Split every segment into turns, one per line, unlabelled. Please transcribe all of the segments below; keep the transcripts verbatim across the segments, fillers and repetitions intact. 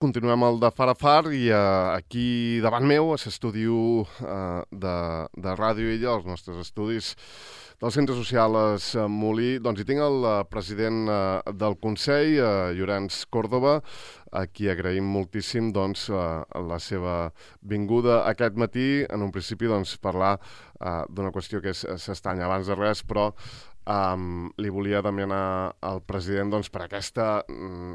Continuem el de Far a Far i uh, aquí davant meu, a l'estudi uh, de, de Ràdio Illa, els nostres estudis del Centre Social Es Molí, doncs hi tinc el uh, president uh, del Consell, uh, Llorenç Còrdova, a qui agraïm moltíssim doncs, uh, la seva vinguda aquest matí. En un principi doncs, parlar uh, d'una qüestió que és s'estanya abans de res, però Um, li volia demanar al president doncs, per aquesta um,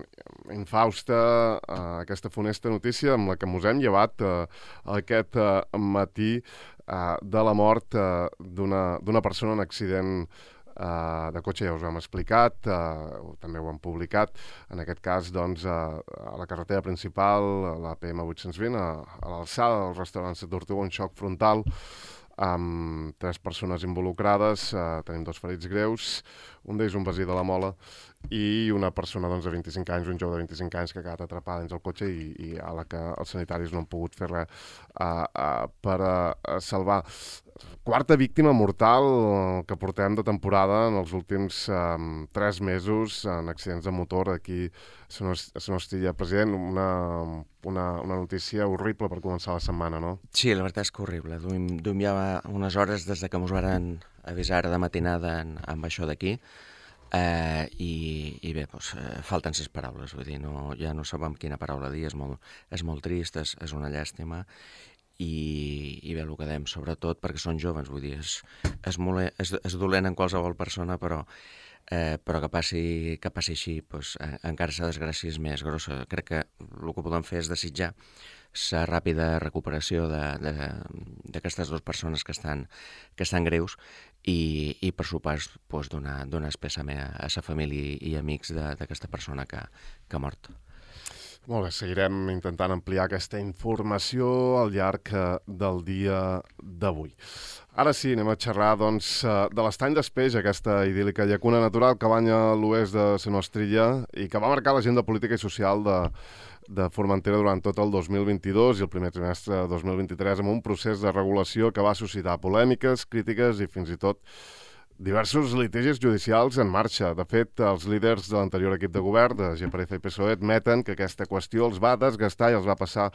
infausta, uh, aquesta funesta notícia amb la que ens hem llevat uh, aquest uh, matí uh, de la mort uh, d'una d'una persona en accident uh, de cotxe. Ja us ho hem explicat, uh, també ho hem publicat, en aquest cas doncs, uh, a la carretera principal, a la P M vuit-cents vint, a, a l'alçada del restaurant La Tortuga, un xoc frontal amb tres persones involucrades, uh, tenim dos ferits greus, un d'ells un veí de la Mola i una persona doncs, de vint-i-cinc anys, un jove de vint-i-cinc anys que ha quedat atrapada dins el cotxe i, i a la que els sanitaris no han pogut fer res uh, uh, per uh, salvar. Quarta víctima mortal que portem de temporada en els últims um, tres mesos en accidents de motor aquí a la nostra president. Una, una, una notícia horrible per començar la setmana, no?
Sí, la veritat és que horrible. Duim, duim ja unes hores des de que ens van avisar de matinada en, amb això d'aquí. Eh, i, i bé, doncs, eh, falten ses paraules, vull dir, no, ja no sabem quina paraula dir, és molt, és molt trist, és, és una llàstima i, i bé, el que dèiem, sobretot perquè són joves, vull dir, és, és, molt, és, és dolent en qualsevol persona, però, eh, però que passi, que passi així, doncs, eh, encara la desgràcia és més grossa. Crec que el que podem fer és desitjar la ràpida recuperació d'aquestes dues persones que estan, que estan greus i, i per supost, doncs, donar, donar espèssament a, a la família i amics d'aquesta persona que, que ha mort.
Molt bé, seguirem intentant ampliar aquesta informació al llarg del dia d'avui. Ara sí, anem a xerrar doncs, de l'Estany d'Espeix, aquesta idíl·lica llacuna natural que banya l'oest de la nostra illa i que va marcar l'agenda política i social de, de Formentera durant tot el dos mil vint-i-dos i el primer trimestre de dos mil vint-i-tres amb un procés de regulació que va suscitar polèmiques, crítiques i fins i tot diversos litigis judicials en marxa. De fet, els líders de l'anterior equip de govern, de G P R F i P S O E, admeten que aquesta qüestió els va desgastar i els va passar,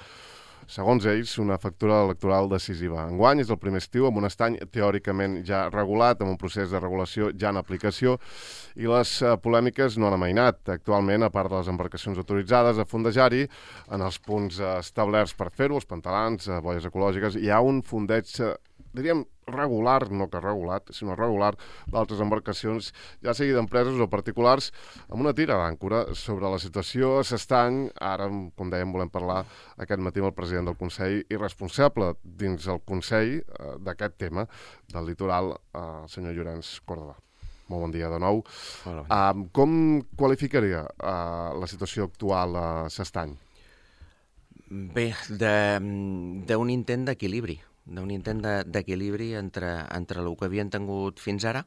segons ells, una factura electoral decisiva. Enguany és el primer estiu amb un estany teòricament ja regulat, amb un procés de regulació ja en aplicació, i les uh, polèmiques no han amainat. Actualment, a part de les embarcacions autoritzades a fondejar-hi, en els punts uh, establerts per fer-ho, els pantalans, uh, boies ecològiques, hi ha un fondeig, uh, diríem, regular, no que regulat, sinó regular, d'altres embarcacions, ja sigui d'empreses o particulars, amb una tira d'àncora sobre la situació a l'estany. Ara, com dèiem, volem parlar aquest matí amb el president del Consell i responsable dins el Consell eh, d'aquest tema del litoral, eh, el senyor Llorenç Còrdova. Molt bon dia de nou.
Hola.
Uh, com qualificaria uh, la situació actual a l'estany?
Bé, d'un intent d'equilibri. d'un intent d'equilibri entre, entre el que havien tingut fins ara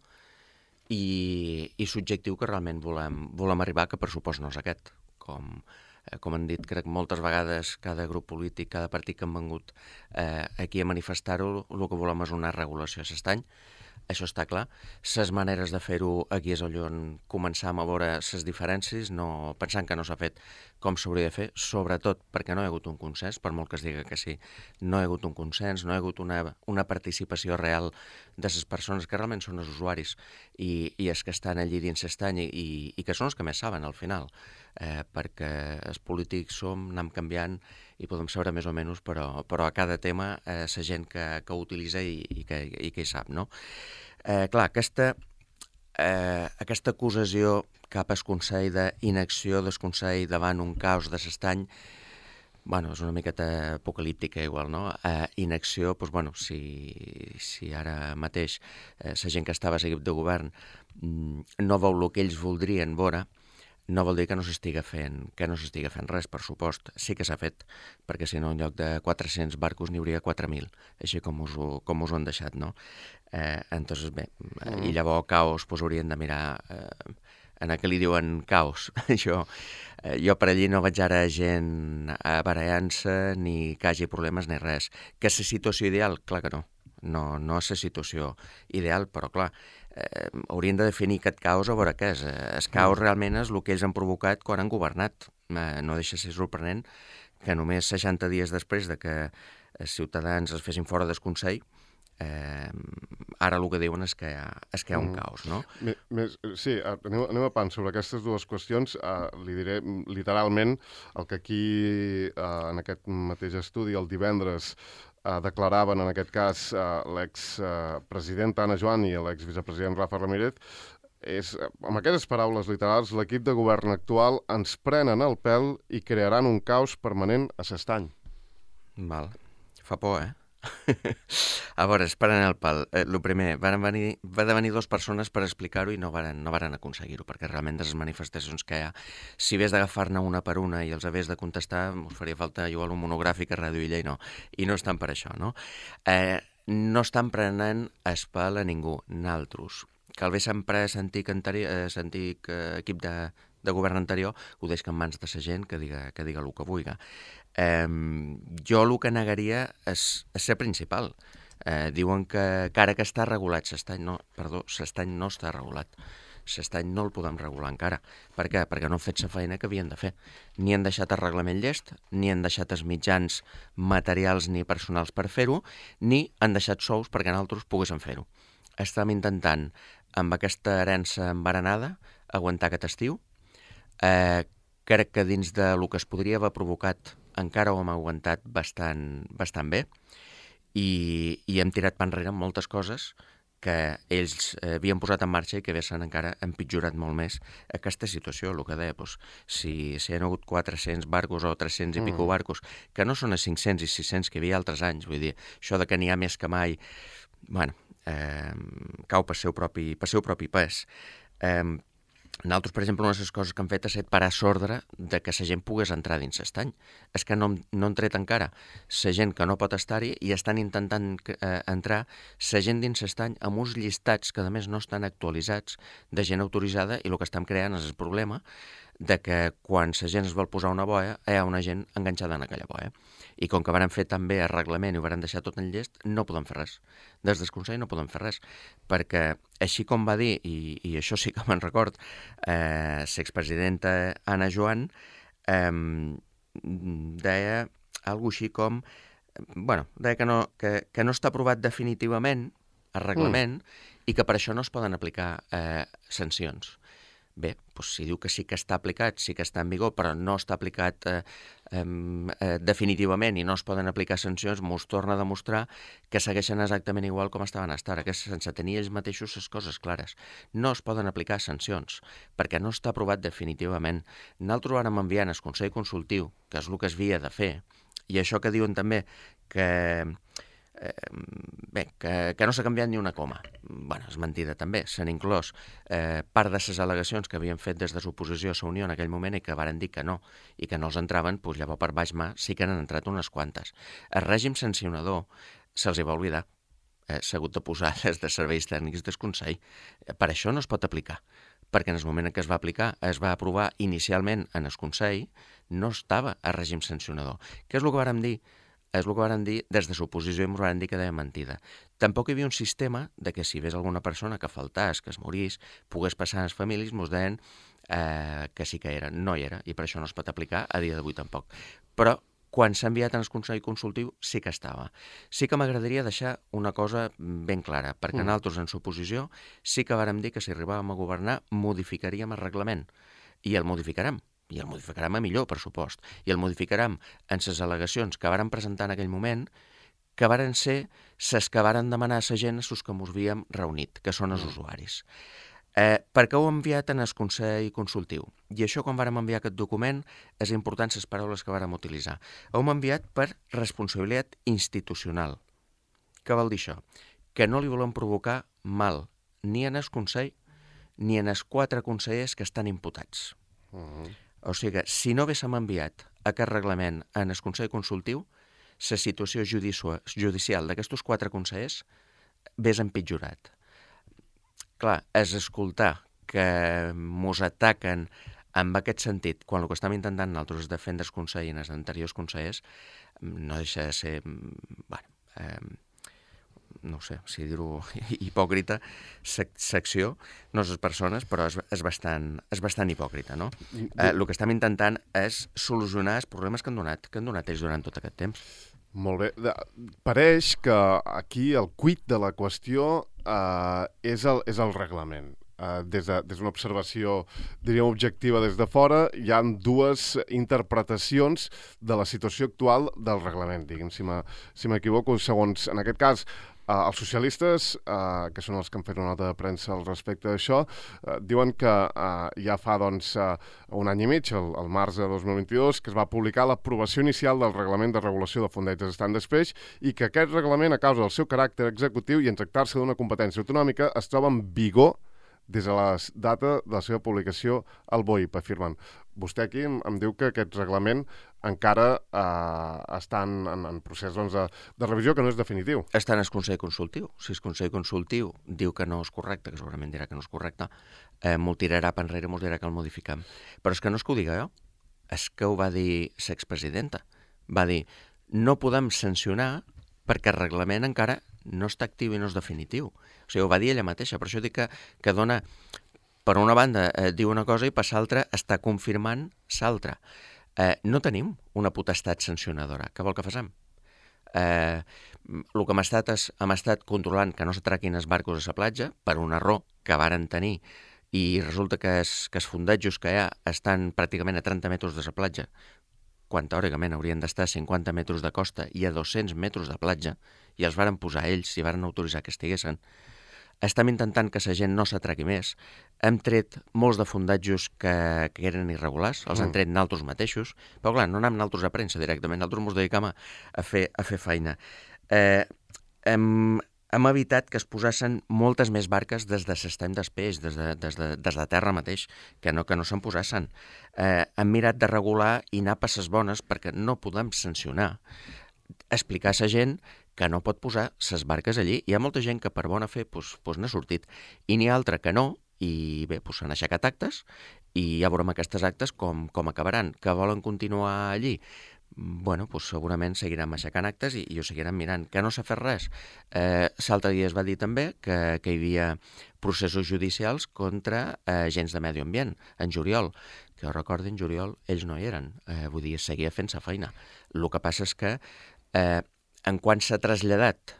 i, i l'objectiu que realment volem, volem arribar, que per supost no és aquest. Com, eh, com han dit, crec, moltes vegades cada grup polític, cada partit que han vengut eh, aquí a manifestar-ho, el que volem és una regulació a l'estany. Això està clar. Les maneres de fer-ho aquí és on començam a veure les diferències, no, pensant que no s'ha fet com s'hauria de fer, sobretot perquè no hi ha hagut un consens, per molt que es digui que sí, no hi ha hagut un consens, no hi ha hagut una, una participació real de les persones que realment són els usuaris i, i els que estan allí dins l'estany i, i que són els que més saben al final, eh, perquè els polítics som, anem canviant i podem saber més o menys, però, però a cada tema eh, la gent que, que ho utilitza i, i, que, i que hi sap, no? Eh, clar, aquesta, eh, aquesta acusació cap al Consell d'inacció del Consell davant un caos de l'estany, bueno, és una miqueta apocalíptica igual, no? Eh, inacció, doncs, bueno, si, si ara mateix eh, la gent que estava a l'equip de govern mm, no veu el que ells voldrien veure, no vol dir que no s'estiga fent, que no s'estiga fent res, per supost. Sí que s'ha fet, perquè si no en lloc de quatre-cents barcos n'hi hauria quatre mil, així com us ho, com us ho han deixat, no? Eh, entonces, bé, mm. i llavors caos, doncs haurien de mirar eh, en el que li diuen caos. jo, eh, jo per allí no veig ara gent barallant-se, ni que hagi problemes ni res. Que és la situació ideal? Clar que no. No, no és la situació ideal, però clar, eh, haurien de definir aquest caos a veure què és. El caos realment és el que ells han provocat quan han governat. eh, no deixa de ser sorprenent que només seixanta dies després de que Ciutadans es fessin fora del Consell, eh, ara el que diuen és que hi ha, és que hi ha un
Mm.
caos, no?
Més, més, sí, anem, anem a pan sobre aquestes dues qüestions. Uh, li diré literalment el que aquí, uh, en aquest mateix estudi, el divendres, uh, declaraven, en aquest cas, uh, l'ex-presidenta Anna Joan i l'ex-vicepresident Rafa Ramírez, és, amb aquestes paraules literals, l'equip de govern actual ens prenen el pèl i crearan un caos permanent a S'Estany.
Val. Fa por, eh? A veure, es prenen el pal. Eh, el primer, van venir, va de venir dues persones per explicar-ho i no varen, no varen aconseguir-ho, perquè realment de les manifestacions que hi ha, si hagués d'agafar-ne una per una i els hagués de contestar, us faria falta igual un monogràfic a Ràdio Illa i no. I no estan per això, no? Eh, no estan prenent el pal a ningú, naltros. Que el bé sempre sentit, eh, sentit eh, equip de, de govern anterior ho deixa en mans de la gent que diga, que diga el que vulgui. Eh, jo el que negaria és, és ser principal. Eh, diuen que, que ara que està regulat S'Estany, no, perdó, S'Estany no està regulat. S'Estany no el podem regular encara. Per què? Perquè no han fet la feina que havien de fer. Ni han deixat el reglament llest, ni han deixat els mitjans materials ni personals per fer-ho, ni han deixat sous perquè nosaltres poguéssim fer-ho. Estem intentant, amb aquesta herència embaranada, aguantar aquest estiu. Eh, crec que dins de lo que es podria haver provocat encara ho hem aguantat bastant, bastant bé i, i hem tirat pa enrere moltes coses que ells eh, havien posat en marxa i que haguessin encara empitjorat molt més aquesta situació, el que deia, doncs, si, si hi ha hagut quatre-cents barcos o tres-cents i mm. pico barcos, que no són els cinc-cents i sis-cents que hi havia altres anys, vull dir, això de que n'hi ha més que mai, bueno, eh, cau per seu propi, per seu propi pes. Eh, Nosaltres, per exemple, una de les coses que hem fet ha estat parar l'ordre de que la gent pogués entrar dins S'Estany. És que no, no han tret encara la gent que no pot estar-hi i estan intentant eh, entrar la gent dins S'Estany amb uns llistats que, a més, no estan actualitzats de gent autoritzada i el que estem creant és el problema de que quan la gent es vol posar una boia hi ha una gent enganxada en aquella boia. I com que van fer també el reglament i ho van deixar tot en llest, no podem fer res. Des del Consell no podem fer res, perquè així com va dir, i, i això sí que me'n record, eh, l'expresidenta Anna Joan eh, deia alguna així com, bueno, deia que no, que, que no està aprovat definitivament el reglament mm. i que per això no es poden aplicar eh, sancions. Bé, doncs si diu que sí que està aplicat, sí que està en vigor, però no està aplicat eh, eh, definitivament i no es poden aplicar sancions, mos torna a demostrar que segueixen exactament igual com estaven fins ara, que sense tenir ells mateixos les coses clares. No es poden aplicar sancions, perquè no està aprovat definitivament. Nosaltres vàrem enviar al Consell Consultiu, que és el que es havia de fer, i això que diuen també que... Eh, bé, que, que no s'ha canviat ni una coma. Bueno, és mentida també, s'han inclòs eh, part de les al·legacions que havien fet des de l'oposició a la Unió en aquell moment i que varen dir que no, i que no els entraven, doncs llavors per baix mà sí que n'han entrat unes quantes. El règim sancionador se'ls hi va oblidar, eh, s'ha hagut de posar des de serveis tècnics del Consell. Per això no es pot aplicar, perquè en el moment en què es va aplicar, es va aprovar inicialment en el Consell, no estava a règim sancionador. Què és el que vàrem dir? És el que van dir des de l'oposició i ens van dir que deia mentida. Tampoc hi havia un sistema de que si ves alguna persona que faltàs, que es morís, pogués passar a les famílies, ens deien eh, que sí que era. No hi era, i per això no es pot aplicar a dia d'avui tampoc. Però quan s'ha enviat al Consell Consultiu sí que estava. Sí que m'agradaria deixar una cosa ben clara, perquè mm. nosaltres en l'oposició sí que vàrem dir que si arribàvem a governar modificaríem el reglament, i el modificarem. I el modificarem a millor, per supost, i el modificarem en les al·legacions que varen presentar en aquell moment, que varen ser les que varen demanar a la gent a els que ens havíem reunit, que són els usuaris. Eh, per què ho hem enviat en el Consell Consultiu? I això, quan vàrem enviar aquest document, és important les paraules que vàrem utilitzar. Ho hem enviat per responsabilitat institucional. Què vol dir això? Que no li volem provocar mal ni en el Consell ni en els quatre consellers que estan imputats. Uh-huh. O sigui que, si no haguéssim enviat aquest reglament en el Consell Consultiu, la situació judicial d'aquests quatre consellers hagués empitjorat. Clar, és escoltar que mos ataquen en aquest sentit, quan el que estem intentant nosaltres és defendre el Consell i els anteriors consellers, no deixa de ser, bueno, eh, no sé si dir-ho hipòcrita, sec secció, no les persones, però és, és, bastant, és bastant hipòcrita, no? Eh, el que estem intentant és solucionar els problemes que han donat, que han donat ells durant tot aquest temps.
Molt bé. De, pareix que aquí el quid de la qüestió eh, és, el, és el reglament. Uh, des d'una de, observació, diríem, objectiva des de fora, hi ha dues interpretacions de la situació actual del reglament, diguem, si m'equivoco, si segons, en aquest cas, uh, els socialistes, uh, que són els que han fet una nota de premsa al respecte d'això, uh, diuen que uh, ja fa, doncs, uh, un any i mig, el, el març de dos mil vint-i-dos, que es va publicar l'aprovació inicial del reglament de regulació de fondetes estant d'espeix i que aquest reglament, a causa del seu caràcter executiu i en tractar-se d'una competència autonòmica, es troba en vigor des de la data de la seva publicació al B O I P, afirmen. Vostè aquí em, em diu que aquest reglament encara eh, està en, en, en procés doncs, de, de revisió, que no és definitiu.
Està en el Consell Consultiu. Si el Consell Consultiu diu que no és correcte, que segurament dirà que no és correcte, eh, m'ho tirarà per enrere i m'ho dirà que el modifiquem. Però és que no és que ho diga jo, és que ho va dir l'expresidenta. Va dir, no podem sancionar perquè el reglament encara no està actiu i no és definitiu. O sigui, ho va dir ella mateixa, per això dic que, que dona, per una banda, eh, diu una cosa i per l'altra està confirmant l'altra. Eh, no tenim una potestat sancionadora. Què vol que facem? Eh, el que hem estat és, hem estat controlant que no s'atraquin els barcos a la platja per un error que varen tenir i resulta que els, que els fondejos que hi ha estan pràcticament a trenta metres de la platja, quan teòricament haurien d'estar a cinquanta metres de costa i a dos-cents metres de platja, i els varen posar ells i varen autoritzar que estiguessin. Estem intentant que la gent no s'atraqui més. Hem tret molts de fondatges que, que eren irregulars, els mm. hem tret naltros mateixos, però clar, no anem naltros a premsa directament, naltros ens dedicam a, a, fer, a fer feina. Eh, hem, hem evitat que es posessin moltes més barques des de l'estany d'espeix, des, de, des, de, des de terra mateix, que no, que no se'n posessin. Eh, hem mirat de regular i anar a passes bones perquè no podem sancionar. Explicar a la gent que no pot posar ses barques allí. Hi ha molta gent que per bona fe pues, pues n'ha sortit i n'hi ha altra que no, i bé, pues, s'han aixecat actes i ja veurem aquestes actes com, com acabaran. Que volen continuar allí? Bueno, pues, segurament seguiran aixecant actes i, i ho seguiran mirant. Que no s'ha fet res? Eh, L'altre dia es va dir també que, que hi havia processos judicials contra eh, agents de medi ambient, en juliol. Que jo recordo, en juliol ells no hi eren. Eh, vull dir, seguia fent sa feina. El que passa és que eh, en quan s'ha traslladat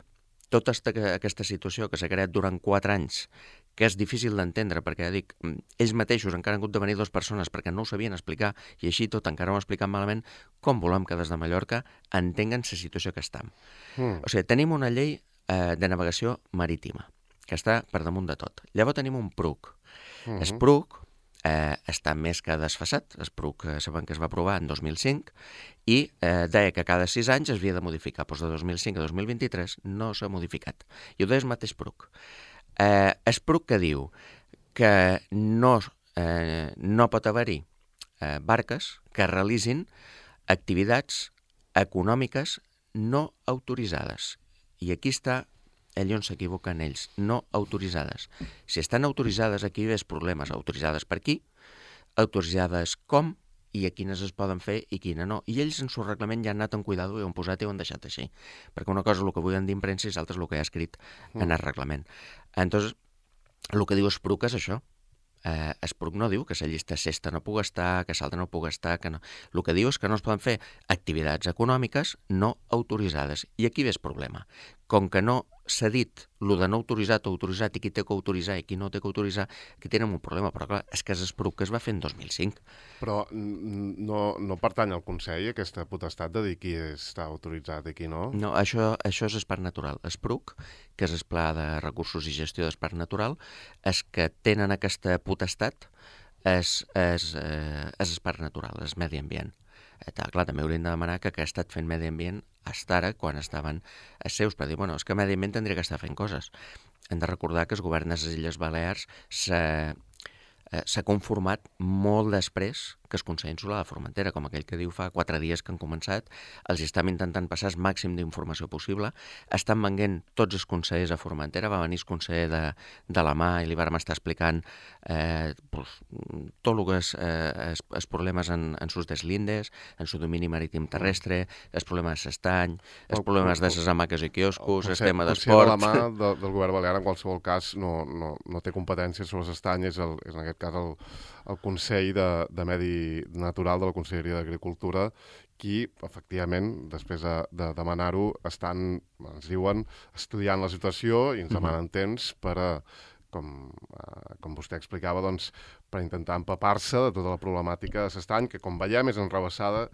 tota esta, aquesta situació que s'ha creat durant quatre anys, que és difícil d'entendre, perquè dic, ells mateixos encara han hagut de venir dues persones perquè no ho sabien explicar, i així tot encara ho han explicat malament, com volem que des de Mallorca entenguen la situació que estem. Mm. O sigui, tenim una llei eh, de navegació marítima, que està per damunt de tot. Llavors tenim un P R U C. Mm-hmm. El P R U C eh, està més que desfasat, el P R U C sabem que es va aprovar en dos mil cinc, i eh, deia que cada sis anys es havia de modificar. Doncs de dos mil cinc a dos mil vint-i-tres no s'ha modificat. I ho deia el mateix P R U C. Eh, el P R U C que diu que no, eh, no pot haver-hi eh, barques que realitzin activitats econòmiques no autoritzades. I aquí està allà on s'equivoquen ells, no autoritzades. Si estan autoritzades, aquí hi ha problemes. Autoritzades per qui? Autoritzades com? I a quines es poden fer i quines no. I ells en el reglament ja han anat amb cuidado i ho han posat i ho han deixat així. Perquè una cosa és el que vull dir en premsa i l'altra és el que hi ha escrit mm. en el reglament. Entonces, el que diu el P R U C és això. Eh, el P R U C no diu que la llista sexta no pugui estar, que l'altra no pugui estar, que no. El que diu és que no es poden fer activitats econòmiques no autoritzades. I aquí ve el problema. Com que no s'ha dit el de no autoritzat o autoritzat i qui té que autoritzar i qui no té que autoritzar, aquí tenen un problema. Però clar, és que és el P R U C que es va fer en dos mil cinc.
Però no, no pertany al Consell aquesta potestat de dir qui està autoritzat i qui no?
No, això, això és el Parc Natural. El P R U C, que és el Pla de Recursos i Gestió del Parc Natural, és que tenen aquesta potestat és, és, eh, és el Parc Natural, és medi ambient. Eh, clar, també haurien de demanar que, que ha estat fent medi ambient fins ara, quan estaven els seus, per dir, bueno, és que medi ambient tindria que estar fent coses. Hem de recordar que el govern de les Illes Balears s'ha eh, s'ha conformat molt després que és Consell Insular de Formentera, com aquell que diu fa quatre dies que han començat, els estem intentant passar el màxim d'informació possible, estan venguent tots els consellers a Formentera, va venir el conseller de, de la mà i li vam estar explicant eh, pues, tot el que és eh, els, els problemes en, en sus deslindes, en su domini marítim terrestre, els problemes de s'estany, els
El-
problemes de
el-
les hamaques i quioscos, el
Consell-
tema
Consell de la
d'esport...
mà de, del govern balear, en qualsevol cas, no, no, no té competències sobre l'estany, és, el, és en aquest cas el, el Consell de, de Medi Natural de la Conselleria d'Agricultura, qui, efectivament, després de, de demanar-ho, estan, ens diuen, estudiant la situació i ens demanen temps per a, com, eh, com vostè explicava, doncs, per intentar empapar-se de tota la problemàtica de l'estany, que, com veiem, és enrevessada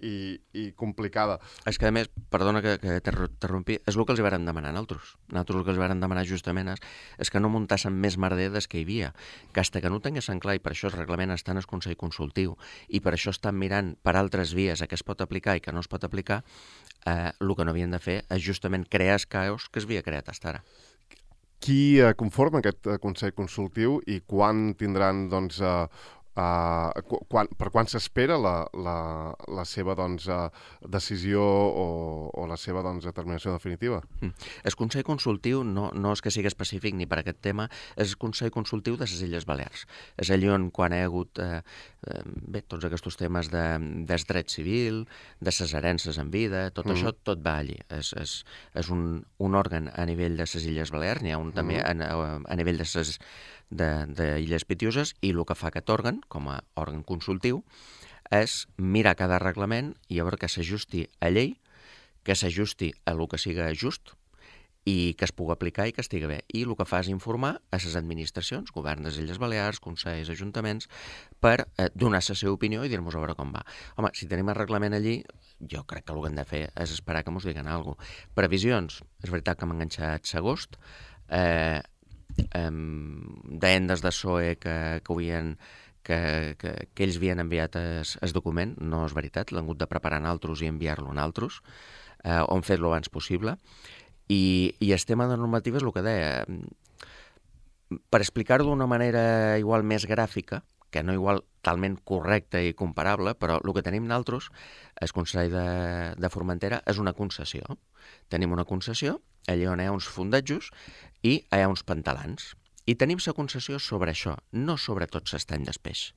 i, i complicada.
És que, a més, perdona que, que t'interrompi, és el que els hi varen demanar a nosaltres. Nosaltres el que els varen demanar justament és, és que no muntassen més merder des que hi havia, que hasta que no tinguessin clar, i per això el reglament està en el Consell Consultiu, i per això estan mirant per altres vies a què es pot aplicar i que no es pot aplicar, eh, el que no havien de fer és justament crear el caos que es havia creat fins ara.
Qui eh, conforma aquest eh, Consell Consultiu i quan tindran, doncs, eh, Uh, quan, per quan s'espera la, la, la seva doncs, uh, decisió o, o la seva doncs, determinació definitiva?
Mm. El Consell Consultiu no, no és que sigui específic ni per aquest tema, és el Consell Consultiu de les Illes Balears. És allà on quan hi ha hagut eh, eh, bé, tots aquests temes de, del dret civil, de les herències en vida, tot mm. això, tot va allí. És, és, és un, un òrgan a nivell de les Illes Balears, n'hi ha un mm. també a, a, a nivell de les d'Illes Pitiuses, i el que fa aquest òrgan, com a òrgan consultiu, és mirar cada reglament i veure que s'ajusti a llei, que s'ajusti a el que siga just i que es pugui aplicar i que estigui bé. I el que fa és informar a les administracions, govern de les Illes Balears, consells, ajuntaments, per eh, donar la seva opinió i dir-nos a veure com va. Home, si tenim el reglament allí, jo crec que el que hem de fer és esperar que ens diguen alguna cosa. Previsions, és veritat que hem enganxat l'agost, eh, Um, deien des de S O E que, que, havien, que, que, que ells havien enviat el document, no és veritat, l'han hagut de preparar en altres i enviar-lo en altres, eh, on fer-lo abans possible, i, i el tema de normativa és el que deia, per explicar-ho d'una manera igual més gràfica, que no igual talment correcta i comparable, però el que tenim nosaltres, el Consell de, de Formentera, és una concessió. Tenim una concessió, allà on hi ha uns fondatjos i hi ha uns pantalans. I tenim la concessió sobre això, no sobre tot l'estany del peix.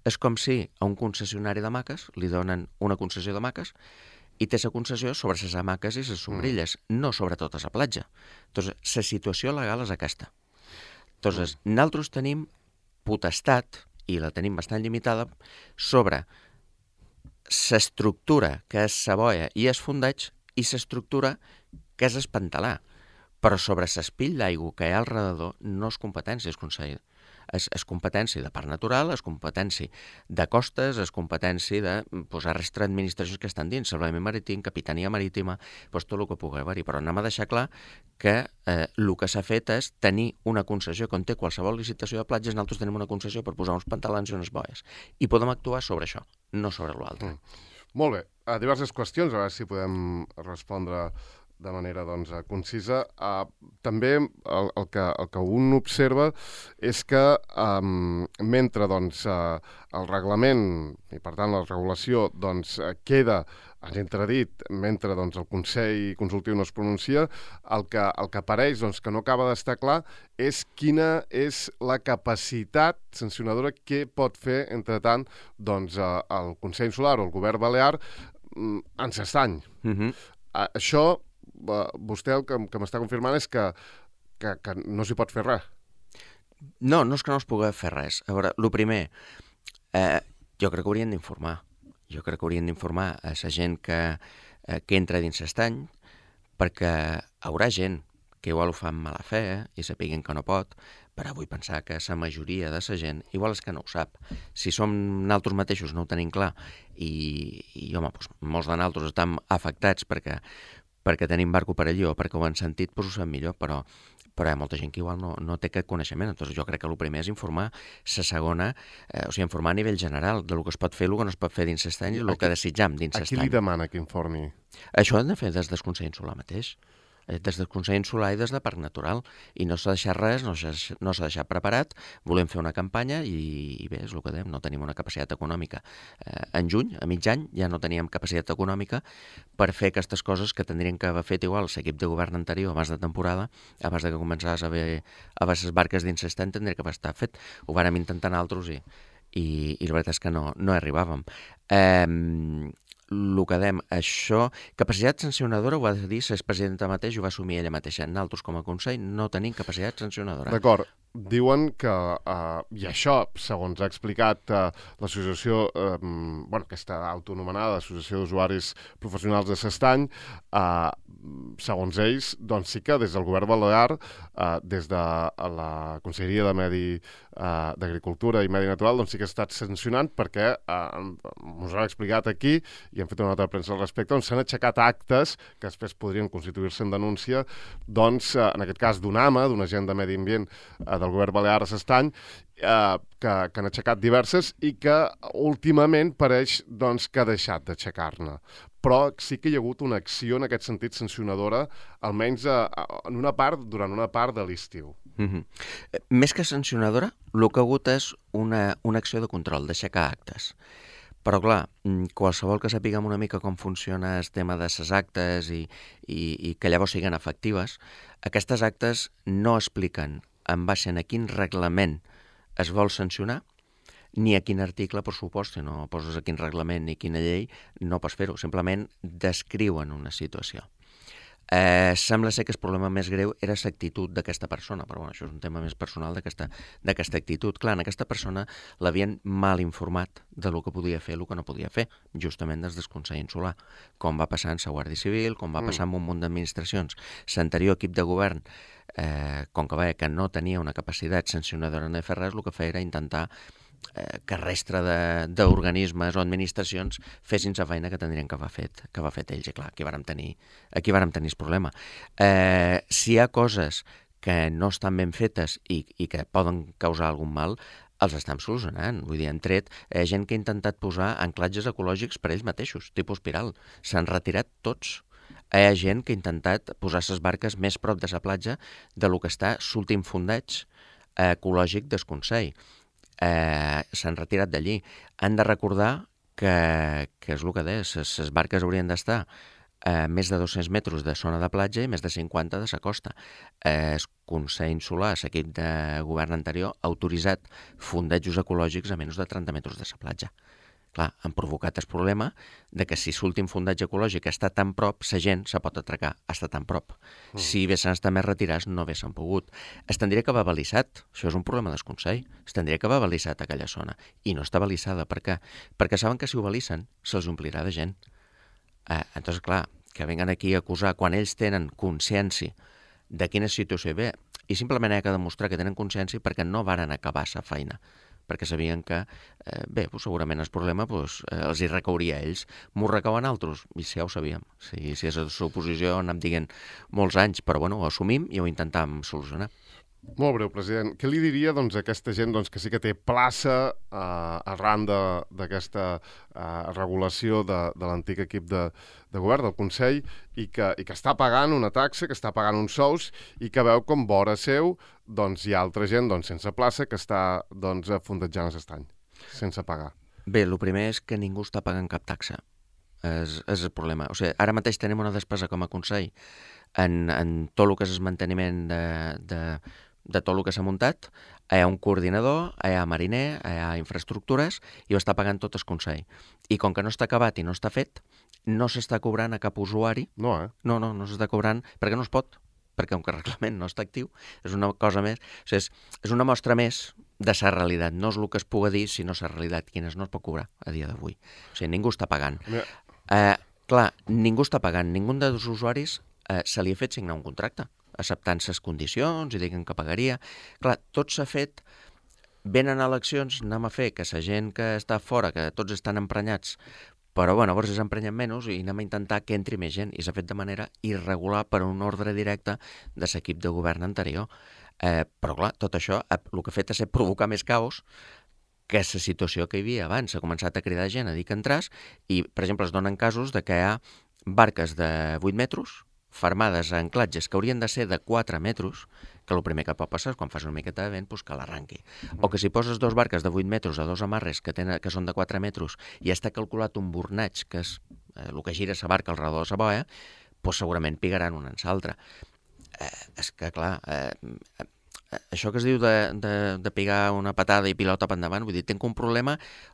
És com si a un concessionari d'hamaques li donen una concessió d'hamaques i té la concessió sobre les hamaques i les sombrilles, mm. no sobre tota la platja. Entonces, la situació legal és aquesta. Entonces, mm. nosaltres tenim potestat, i la tenim bastant limitada, sobre l'estructura que és la boia i els fondats i l'estructura que és el pantalà. Però sobre l'espill d'aigua que hi ha al redador no és competència del Consell. És, és competència de parc natural, és competència de costes, és competència de pues, la resta d'administracions que estan dins, salvament marítim, capitania marítima, pues, tot el que pugui haver-hi. Però anem a deixar clar que eh, el que s'ha fet és tenir una concessió, quan té qualsevol licitació de platges, nosaltres tenim una concessió per posar uns pantalans i unes boies. I podem actuar sobre això, no sobre l'altre.
Mm. Molt bé. A diverses qüestions, a veure si podem respondre de manera doncs, concisa. Uh, també el, el, que, el que un observa és que um, mentre doncs, uh, el reglament i per tant la regulació doncs, uh, queda en entredit mentre doncs, el Consell Consultiu no es pronuncia, el que, el que apareix doncs, que no acaba d'estar clar és quina és la capacitat sancionadora que pot fer, entre tant, doncs, uh, el Consell Insular o el Govern Balear um, en s'estany. Mm-hmm. Uh, això vostè el que, que m'està confirmant és que, que, que no s'hi pot fer res.
No, no és que no es pugui fer res. A veure, el primer, eh, jo crec que haurien d'informar. Jo crec que haurien d'informar a la gent que, eh, que entra dins l'estany, perquè haurà gent que igual ho fa amb mala fe eh, i sapiguin que no pot, però vull pensar que la majoria de la gent igual és que no ho sap. Si som nosaltres mateixos no ho tenim clar i, i home, doncs, molts de nosaltres estem afectats perquè perquè tenim barco per allí o perquè ho han sentit, doncs ho sap millor, però, però hi ha molta gent que igual no, no té aquest coneixement. Entonces, jo crec que el primer és informar, la segona, eh, o sigui, informar a nivell general del que es pot fer, el que no es pot fer dins l'estany i el que desitjam dins l'estany.
A qui li demana que informi?
Això ho han de fer des del Consell Insular mateix. des del Consell Insular i des de Parc Natural, i no s'ha deixat res, no s'ha no s'ha deixat preparat, volem fer una campanya i, i bé, és el que dèiem, no tenim una capacitat econòmica. Eh, en juny, a mig any, ja no teníem capacitat econòmica per fer aquestes coses que tindrien que haver fet igual l'equip de govern anterior abans de temporada, abans de que començàs a haver a veure les barques dins l'estany, tindria que haver estat fet. Ho vàrem intentar nosaltres i, i, i la veritat és que no, no arribàvem. Eh, el que dèiem, això, capacitat sancionadora ho va dir la presidenta mateix, ho va assumir ella mateixa. Nosaltres, com a Consell, no tenim capacitat sancionadora.
D'acord. Diuen que, eh, i això, segons ha explicat eh, l'associació, eh, bueno, aquesta autonomenada Associació d'Usuaris Professionals de l'Estany, eh, segons ells, doncs sí que des del govern balear, eh, des de la Conselleria de Medi, eh, d'Agricultura i Medi Natural, doncs sí que ha estat sancionant perquè, eh, us ho han explicat aquí, i hem fet una nota de premsa al respecte, on s'han aixecat actes que després podrien constituir-se en denúncia, doncs, eh, en aquest cas d'un A M A, d'un agent de medi ambient, eh, del govern balear a l'Estany, eh, que, que han aixecat diverses i que últimament pareix doncs, que ha deixat d'aixecar-ne. Però sí que hi ha hagut una acció en aquest sentit sancionadora, almenys eh, en una part, durant una part de l'estiu.
Mm-hmm. Més que sancionadora, el que ha hagut és una, una acció de control, d'aixecar actes. Però, clar, qualsevol que sapiguem una mica com funciona el tema de les actes i, i, i que llavors siguin efectives, aquestes actes no expliquen en base a quin reglament es vol sancionar, ni a quin article, per supost, si no poses a quin reglament ni quina llei, no pots fer-ho. Simplement descriuen una situació. Eh, sembla ser que el problema més greu era l'actitud d'aquesta persona, però bueno, això és un tema més personal d'aquesta d'aquesta actitud. Clar, en aquesta persona l'havien mal informat de lo que podia fer i el que no podia fer, justament des del Consell Insular, com va passar en la Guàrdia Civil, com va passar en un munt d'administracions. L'anterior equip de govern, eh, com que veia que no tenia una capacitat sancionadora de fer res, el que feia era intentar eh, que restre d'organismes o administracions fessin la feina que tindrien que haver fet, que haver fet ells. I clar, aquí vàrem tenir, aquí vàrem tenir el problema. Eh, si hi ha coses que no estan ben fetes i, i que poden causar algun mal, els estem solucionant. Vull dir, han tret eh, gent que ha intentat posar anclatges ecològics per ells mateixos, tipus espiral. S'han retirat tots. Hi ha gent que ha intentat posar les barques més prop de la platja de lo que està l'últim fondeig eh, ecològic del Consell. Eh, s'han retirat d'allí. Han de recordar que, que és el que deia, les barques haurien d'estar a més de dos-cents metres de zona de platja i més de cinquanta de la costa. Eh, el Consell Insular, l'equip de govern anterior, ha autoritzat fondejos ecològics a menys de trenta metres de la platja. Clar, han provocat el problema de que si l'últim fondeig ecològic està tan prop, la gent se pot atracar, està tan prop. Mm. Si haguessin estat més retirats, no haguessin pogut. Es tindria que haver balissat, això és un problema del Consell, es tindria que haver balissat aquella zona. I no està balissada, per què? Perquè saben que si ho balissen, se'ls omplirà de gent. Eh, entonces, clar, que venguen aquí a acusar quan ells tenen consciència de quina situació hi ve, i simplement hi ha que demostrar que tenen consciència perquè no varen acabar la feina, perquè sabien que, eh, bé, pues, segurament el problema pues, eh, els hi recauria a ells. M'ho recauen altres? I si ja ho sabíem. Si, si és a l'oposició anem dient molts anys, però bueno, ho assumim i ho intentam solucionar.
Molt breu, president. Què li diria doncs, a aquesta gent doncs, que sí que té plaça eh, arran d'aquesta eh, regulació de, de l'antic equip de, de govern, del Consell, i que, i que està pagant una taxa, que està pagant uns sous, i que veu com vora seu doncs, hi ha altra gent doncs, sense plaça que està doncs, fondejant l'estany, sense pagar?
Bé, el primer és que ningú està pagant cap taxa. És, és el problema. O sigui, ara mateix tenim una despesa com a Consell en, en tot el que és el manteniment de... de de tot el que s'ha muntat, hi ha un coordinador, hi ha mariner, hi ha infraestructures, i ho està pagant tot el Consell. I com que no està acabat i no està fet, no s'està cobrant a cap usuari.
No, eh?
No, no, no s'està cobrant, perquè no es pot, perquè com que el reglament no està actiu, és una cosa més, o sigui, és, és una mostra més de la realitat. No és el que es pugui dir, sinó la realitat, quines no es pot cobrar a dia d'avui. O sigui, ningú està pagant.
Mira.
Eh, clar, ningú està pagant, ningú dels usuaris eh, se li ha fet signar un contracte, acceptant les condicions i diguen que pagaria. Clar, tot s'ha fet, venen eleccions, anem a fer que la gent que està fora, que tots estan emprenyats, però bueno, llavors s'emprenyen menys i anem a intentar que entri més gent, i s'ha fet de manera irregular per un ordre directe de l'equip de govern anterior. Eh, però clar, tot això el que ha fet és provocar més caos que la situació que hi havia abans. S'ha començat a cridar gent a dir que entràs i, per exemple, es donen casos de que hi ha barques de vuit metres fermades a anclatges que haurien de ser de quatre metres, que el primer que pot passar és quan fas una miqueta de vent doncs que l'arranqui. O que si poses dos barques de vuit metres a dos amarres que, tenen, que són de quatre metres i està calculat un bornatge, que és eh, el que gira la barca al redor de la boia, doncs segurament pigaran una en l'altra. Eh, és que, clar, eh, eh, això que es diu de, de, de pegar una patada i pilota per endavant, vull dir, tinc un problema,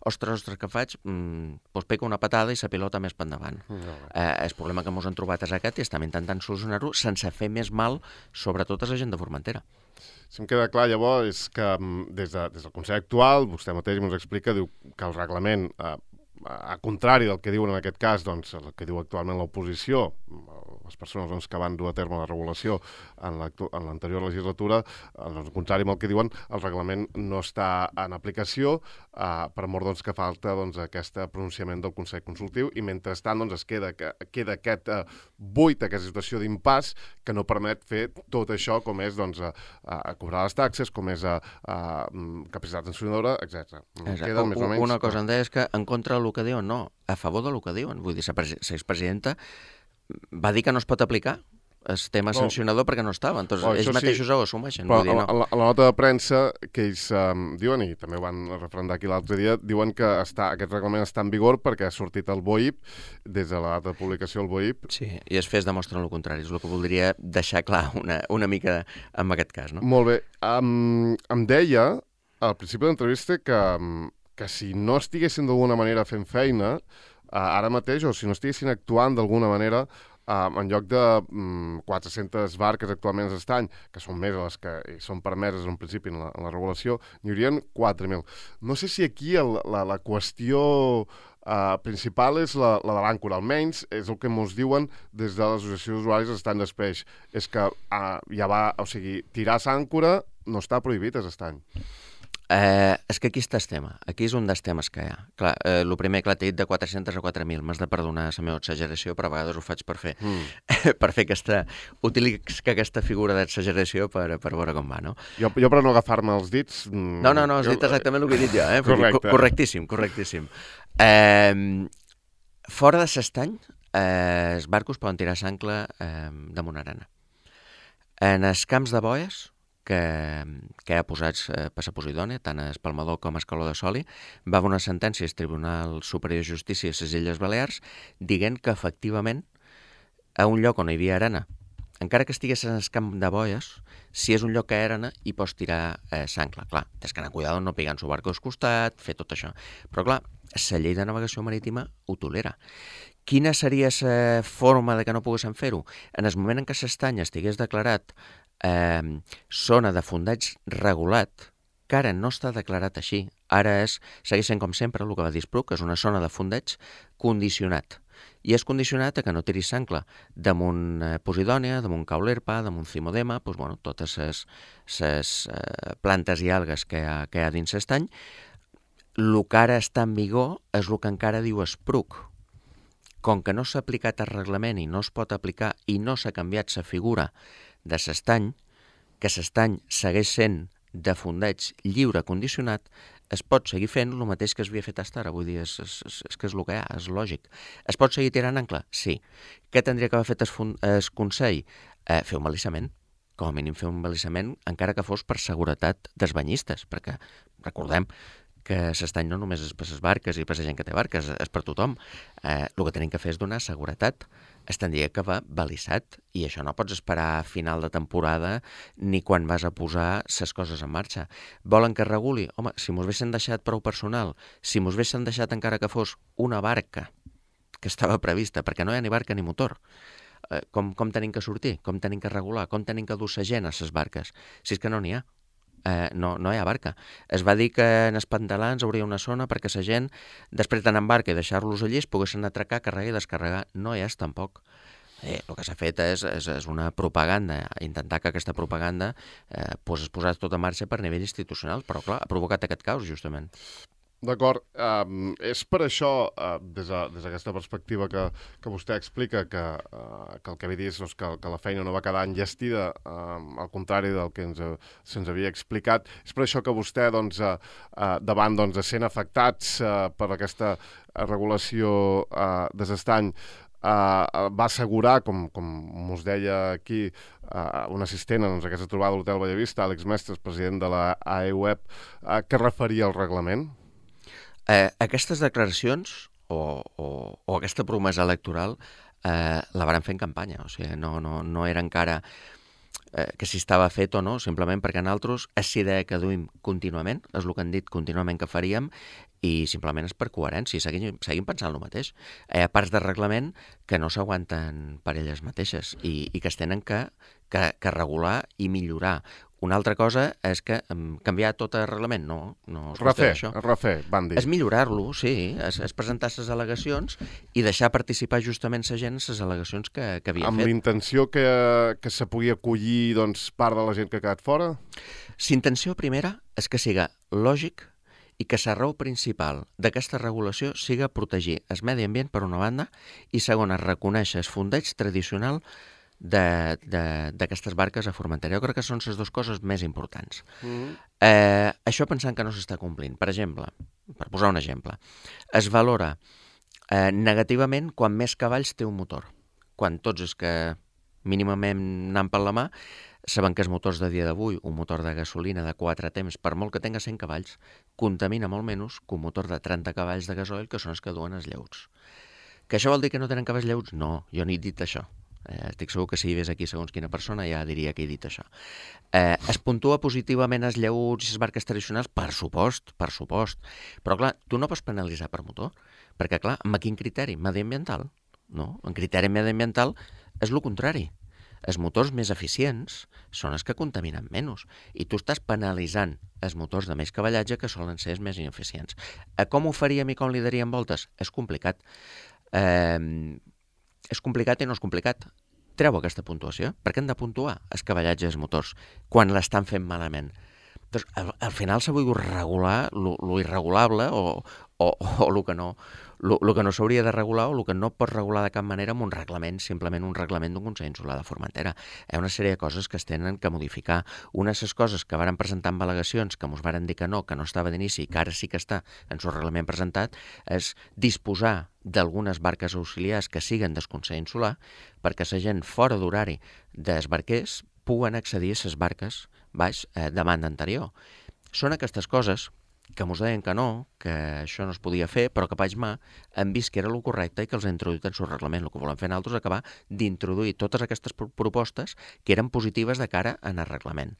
ostres, ostres, què faig? Mm, doncs pego una patada i la pilota més per endavant. No. Eh, el problema que ens hem trobat és aquest i estem intentant solucionar-ho sense fer més mal, sobretot a la gent de Formentera.
Si em queda clar, llavors, és que des, de, des del Consell actual, vostè mateix ens explica, diu que el reglament, eh, a contrari del que diuen en aquest cas, doncs, el que diu actualment l'oposició, les persones doncs, que van dur a terme la regulació en l'anterior legislatura, doncs, contrari amb el que diuen, el reglament no està en aplicació, eh, per mort doncs, que falta doncs, aquest pronunciament del Consell Consultiu, i mentrestant doncs, es queda, queda aquest eh, buit, aquesta situació d'impàs que no permet fer tot això com és doncs, a, a cobrar les taxes, com és a, a capacitat sancionadora, etcètera.
Queda més o menys... Una cosa em deia és que en contra del que diuen, no, a favor del que diuen. Vull dir, la expresidenta va dir que no es pot aplicar el tema no. sancionador perquè no estava. Entonces, oh, ells mateixos sí. ho assumeixen.
Però
vull dir, no.
a, la, a la nota de premsa que ells um, diuen, i també ho van referendar aquí l'altre dia, diuen que està, aquest reglament està en vigor perquè ha sortit el B O I P, des de la data de publicació del B O I P.
Sí, i es fes demostren el contrari. És el que voldria deixar clar una, una mica en aquest cas. No?
Molt bé. Um, em deia, al principi de l'entrevista, que, que si no estiguessin d'alguna manera fent feina, uh, ara mateix, o si no estiguessin actuant d'alguna manera, Uh, en lloc de um, quatre-centes barques actualment a l'estany, que són més les que són permeses en principi en la, en la regulació, n'hi haurien quatre mil. No sé si aquí el, la, la qüestió uh, principal és la, la de l'àncora, almenys és el que ens diuen des de l'Associació d'Usuaris d'Estany d'Espeix. És que uh, ja va, o sigui, tirar l'àncora no està prohibit a l'estany.
Eh, és que aquí està el tema, aquí és un dels temes que hi ha. Clar, eh, el primer que t'he dit de quatre-centes a quatre mil, m'has de perdonar la meva exageració, però a vegades ho faig per fer, mm. per fer aquesta, utilitzo aquesta figura d'exageració per, per veure com va, no?
Jo, jo per no agafar-me els dits... Mm,
no, no, no, has jo... dit exactament el que he dit jo, eh?
Correcte.
Correctíssim, correctíssim. Eh, fora de l'estany, eh, els barcos poden tirar s'ancla eh, damunt arena. En els camps de boies, que, que ha posats eh, per la Posidònia, tant a Espalmador com a Escaló de Soli, va haver una sentència al Tribunal Superior de Justícia a les Illes Balears dient que, efectivament, a un lloc on hi havia arena, encara que estigués en el camp de boies, si és un lloc que hi ha arena, hi pots tirar eh, s'ancla. Clar, tens que anar cuidado, no pegant su barco al costat, fer tot això. Però, clar, la llei de navegació marítima ho tolera. Quina seria la forma de que no poguessin fer-ho? En el moment en què l'estany estigués declarat Eh, zona de fondeig regulat, que ara no està declarat així, ara és, segueix sent com sempre el que va dir Spruc, que és una zona de fondeig condicionat, i és condicionat a que no tiris s'ancla damunt eh, Posidònia, damunt Caulerpa, damunt Cimodema, doncs, bueno, totes les eh, plantes i algues que hi ha, que hi ha dins l'estany. El que ara està en vigor és el que encara diu Spruc. Com que no s'ha aplicat el reglament i no es pot aplicar i no s'ha canviat la figura de l'estany, que l'estany segueix sent de fondeig lliure condicionat, es pot seguir fent el mateix que es havia fet fins ara. Vull dir, és, és, és que és el que hi ha, és lògic. Es pot seguir tirant ancla? Sí. Què tindria que haver fet el, el Consell? Eh, fer un balissament. Com a mínim fer un balissament, encara que fos per seguretat dels banyistes, perquè recordem que l'estany no només és per les barques i per la gent que té barques, és per tothom. Eh, el que tenim que fer és donar seguretat. Es tindria que va balissat, i això no pots esperar a final de temporada ni quan vas a posar les coses en marxa. Volen que es reguli? Home, si mos haguessin deixat prou personal, si mos haguessin deixat encara que fos una barca que estava prevista, perquè no hi ha ni barca ni motor, eh, com, com tenim que sortir? Com tenim que regular? Com tenim que dur la gent a les barques? Si és que no n'hi ha. Eh, no, no hi ha barca. Es va dir que en els pantalans hauria una zona perquè la gent, després d'anar en barca i deixar-los allí, es poguessin atracar, carregar i descarregar. No hi és tampoc. Eh, el que s'ha fet és, és, és una propaganda, intentar que aquesta propaganda eh, pues, es posés tot en marxa per nivell institucional, però clar, ha provocat aquest caos, justament.
D'acord. Um, és per això, uh, des d'aquesta perspectiva que, que vostè explica, que, uh, que el que havia dit és doncs, que, que la feina no va quedar enllestida, uh, al contrari del que ens, se'ns havia explicat. És per això que vostè, doncs, uh, uh, davant doncs, de sent afectats uh, per aquesta regulació uh, de l'estany, Uh, va assegurar, com, com us deia aquí, uh, un assistent en aquesta trobada a l'Hotel Bellavista, Àlex Mestres, president de la A E U E P, uh, què referia al reglament?
Eh, aquestes declaracions o, o, o aquesta promesa electoral eh, la varen fer en campanya, o sigui, no, no, no era encara eh, que si estava fet o no, simplement perquè nosaltres és idea que duim contínuament, és el que han dit contínuament que faríem, i simplement és per coherència, seguim, seguim pensant el mateix. Hi ha parts de reglament que no s'aguanten per elles mateixes i, i que es tenen que, que, que regular i millorar. Una altra cosa és que um, canviar tot el reglament, no, no es
refer,
això.
Refer, van dir.
És millorar-lo, sí, és, és presentar les al·legacions i deixar participar justament la gent en les al·legacions que, que havia
Amb
fet.
Amb l'intenció que, que se pugui acollir doncs, part de la gent que ha quedat fora?
L'intenció primera és que siga lògic i que la raó principal d'aquesta regulació siga protegir el medi ambient per una banda i segona, reconèixer el fondeig tradicional d'aquestes barques a Formentera. Jo crec que són les dues coses més importants. Mm-hmm. eh, això pensant que no s'està complint. Per exemple, per posar un exemple, es valora eh, negativament quan més cavalls té un motor. Quan tots els que mínimament anant per la mà saben que els motors de dia d'avui, un motor de gasolina de quatre temps, per molt que tenga cent cavalls, contamina molt menys que un motor de trenta cavalls de gasoil, que són els que duen els lleuts. Que això vol dir que no tenen cavalls lleuts? No, jo no he dit això. Eh, estic segur que si hi ves aquí segons quina persona ja diria que he dit això. Eh, es puntua positivament els lleuts i les barques tradicionals? Per supost, per supost. Però clar, tu no pots penalitzar per motor, perquè clar, amb quin criteri? Mediambiental? No, en criteri mediambiental és el contrari. Els motors més eficients són els que contaminen menys i tu estàs penalitzant els motors de més cavallatge que solen ser els més ineficients. Eh, com ho faríem i com li daríem voltes? És complicat. Eh, és complicat i no és complicat. Treu aquesta puntuació. Per què han de puntuar els cavallatges dels motors quan l'estan fent malament? Doncs, al, al final s'ha volgut regular lo, lo irregulable o, o, o el que no, lo, lo que no s'hauria de regular o el que no pot regular de cap manera amb un reglament, simplement un reglament d'un Consell Insular de Formentera. Hi ha una sèrie de coses que es tenen que modificar. Una de les coses que varen presentar amb al·legacions, que ens varen dir que no, que no estava d'inici, que ara sí que està en el reglament presentat, és disposar d'algunes barques auxiliars que siguen del Consell Insular perquè la gent fora d'horari dels barquers puguen accedir a les barques baix eh, de banda anterior. Són aquestes coses que ens deien que no, que això no es podia fer, però que paix mà han vist que era el correcte i que els ha introduït en el seu reglament. El que volem fer nosaltres és acabar d'introduir totes aquestes propostes que eren positives de cara en el reglament.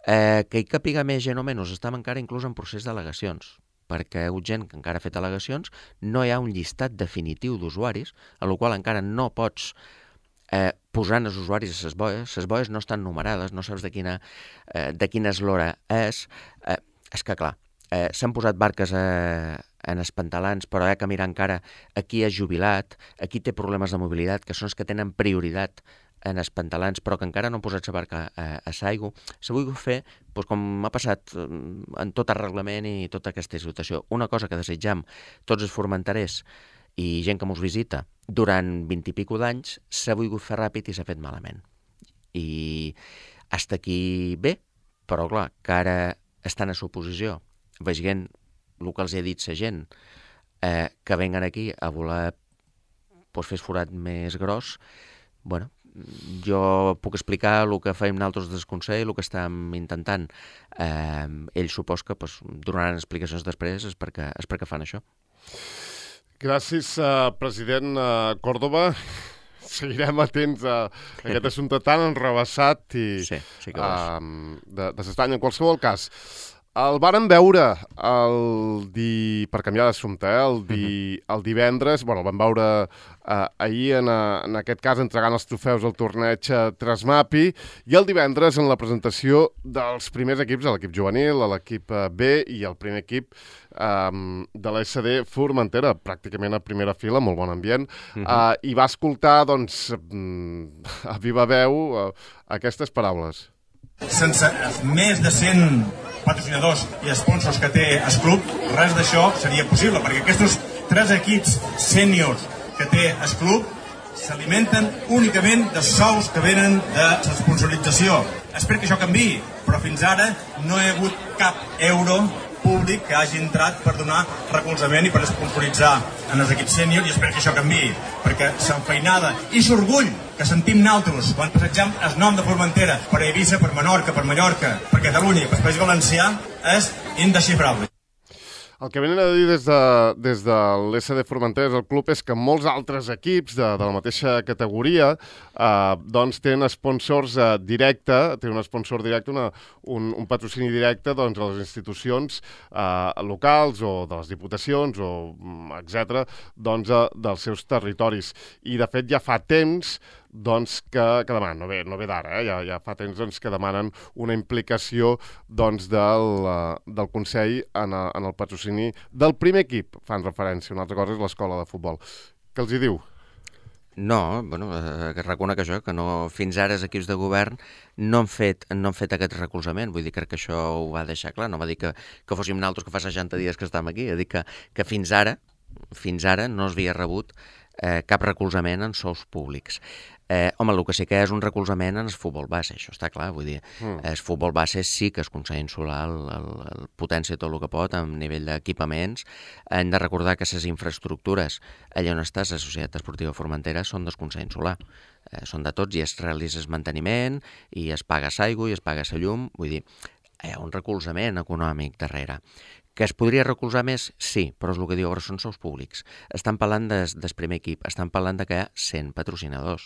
Eh, que hi capiga més gent o menys, estem encara inclús en procés d'al·legacions, perquè hi ha gent que encara ha fet al·legacions, no hi ha un llistat definitiu d'usuaris, a la qual encara no pots Eh, posant els usuaris a les boies, les boies no estan numerades, no saps de quina, eh, de quina eslora és. Eh, és que, clar, eh, s'han posat barques eh, en els pantalans, però hi ha que mirar encara a qui és jubilat, a qui té problemes de mobilitat, que són els que tenen prioritat en els pantalans, però que encara no han posat la barca a, a l'aigua. S'ha volgut fer, doncs, com ha passat en tot el reglament i tota aquesta situació. Una cosa que desitjam tots els formenterers i gent que ens visita durant vint i pico d'anys, s'ha volgut fer ràpid i s'ha fet malament. I hasta aquí bé, però clar, que ara estan a suposició, veient el que els ha dit la gent, eh, que venguen aquí a voler pues, fer el forat més gros, bueno, jo puc explicar el que fèiem nosaltres del Consell, el que estàvem intentant. Eh, ells supos que pues, donaran explicacions després, és perquè, és perquè fan això.
Gràcies, uh, president uh, Córdoba. Seguirem atents a aquest assumpte tan enrevessat i
sí, sí que
uh, de, de s'estany. En qualsevol cas, el vàrem veure el di... per canviar d'assumpte, eh? el, di... uh-huh. el divendres, bueno, el vam veure uh, ahir, en, a, en aquest cas, entregant els trofeus al torneig Trasmapi, i el divendres en la presentació dels primers equips, l'equip juvenil, l'equip B i el primer equip um, de l'S D Formentera, pràcticament a primera fila, molt bon ambient, uh-huh. uh, i va escoltar, doncs, a viva veu uh, aquestes paraules.
Sense més de cent patrocinadors i sponsors que té el club, res d'això seria possible, perquè aquests tres equips sèniors que té el club s'alimenten únicament dels sous que venen de l'esponsorització. Espero que això canviï, però fins ara no hi ha hagut cap euro públic públic que hagi entrat per donar recolzament i per esponsoritzar en els equips sèniors, i espero que això canviï, perquè s'enfeinada i s'orgull que sentim naltros quan passegem el nom de Formentera per Eivissa, per Menorca, per Mallorca, per Catalunya i per País Valencià és indesxifrable.
El que venen a dir des de, des de l'S D Formentera, el club, és que molts altres equips de, de la mateixa categoria eh, doncs tenen sponsors eh, directe, tenen un sponsor directe, una, un, un patrocini directe doncs, a les institucions eh, locals o de les diputacions, o etcètera, doncs, eh, dels seus territoris. I, de fet, ja fa temps doncs, que, que demanen, no ve, no ve d'ara, eh? ja, ja fa temps doncs, que demanen una implicació doncs, del, uh, del Consell en, a, en el patrocini del primer equip, fan referència. Una altra cosa és l'escola de futbol. Què els hi diu?
No, bueno, eh, que reconec això, que no, fins ara els equips de govern no han fet, no han fet aquest recolzament. Vull dir, crec que això ho va deixar clar. No va dir que, que fóssim naltros que fa seixanta dies que estem aquí. Ha dit que, que fins ara, fins ara no s'havia rebut eh, cap recolzament en sous públics. Eh, home, el que sí que és un recolzament en el futbol base, això està clar, vull dir, mm. el futbol base sí que es aconsegueix insular el, el, el potència tot el que pot a nivell d'equipaments. Hem de recordar que les infraestructures allà on està la Societat Esportiva Formentera són del Consell Insular, eh, són de tots i es realitza el manteniment i es paga l'aigua i es paga la llum, vull dir, hi ha un recolzament econòmic darrere. Que es podria recolzar més? Sí, però és el que diu ara, són sous públics. Estan parlant des, del primer equip, estan parlant de que hi ha cent patrocinadors.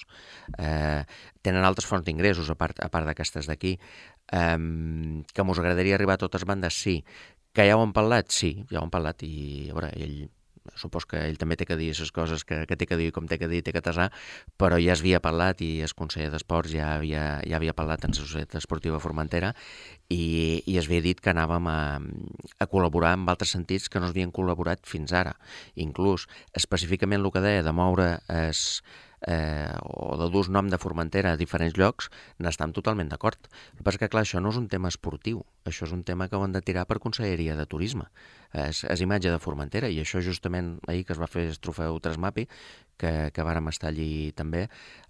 Eh, tenen altres fonts d'ingressos, a part, a part d'aquestes d'aquí. Eh, que mos agradaria arribar a totes bandes? Sí. Que ja ho han parlat? Sí, ja ho han parlat i, a veure, ell... Supos que ell també té que dir les coses que, que té que dir, com té que dir, té que tasar, però ja es havia parlat i el conseller d'Esports ja havia, ja havia parlat en la Societat Esportiva Formentera i, i es havia dit que anàvem a, a col·laborar en altres sentits que no havien col·laborat fins ara. Inclús, específicament el que deia de moure es, eh, o de dur nom de Formentera a diferents llocs, n'estem totalment d'acord. El que passa que, clar, això no és un tema esportiu, això és un tema que ho han de tirar per Conselleria de Turisme. És, és imatge de Formentera, i això justament ahir que es va fer el trofeu Tresmapi, que, que vàrem estar allí també,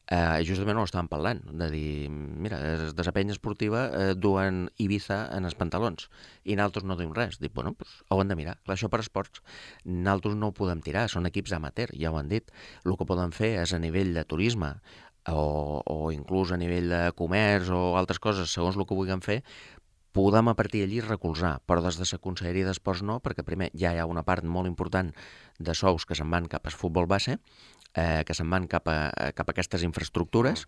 eh, justament ho estàvem parlant, de dir, mira, de la penya esportiva eh, duen Ibiza en els pantalons, i nosaltres no duim res. Dic, bueno, pues, ho hem de mirar. Clar, això per esports, nosaltres no ho podem tirar, són equips amateur, ja ho han dit. El que poden fer és a nivell de turisme, o, o inclús a nivell de comerç o altres coses, segons el que vulguin fer, podem a partir d'allí recolzar, però des de la Conselleria d'Esports no, perquè primer ja hi ha una part molt important de sous que se'n van cap al futbol base, eh, que se'n van cap a, cap a aquestes infraestructures,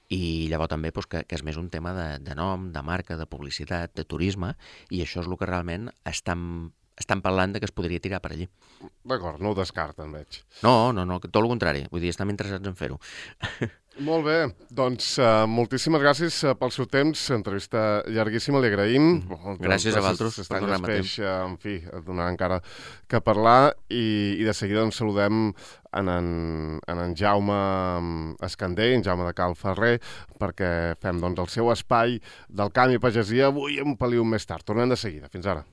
i llavors també doncs, que, que és més un tema de, de nom, de marca, de publicitat, de turisme, i això és el que realment estan, estan parlant de que es podria tirar per allí.
D'acord, no ho descarten, veig.
No, no, no, tot el contrari, vull dir, estem interessats en fer-ho.
Molt bé, doncs uh, moltíssimes gràcies uh, pel seu temps, entrevista llarguíssima, li agraïm.
Mm. Gràcies a vosaltres per donar-me temps.
Uh, en fi, donar encara que parlar, i, i de seguida ens saludem en en, en, en Jaume Escandell, en Jaume de Cal Ferrer, perquè fem doncs, el seu espai del camp i pagesia avui un peliu més tard. Tornem de seguida. Fins ara.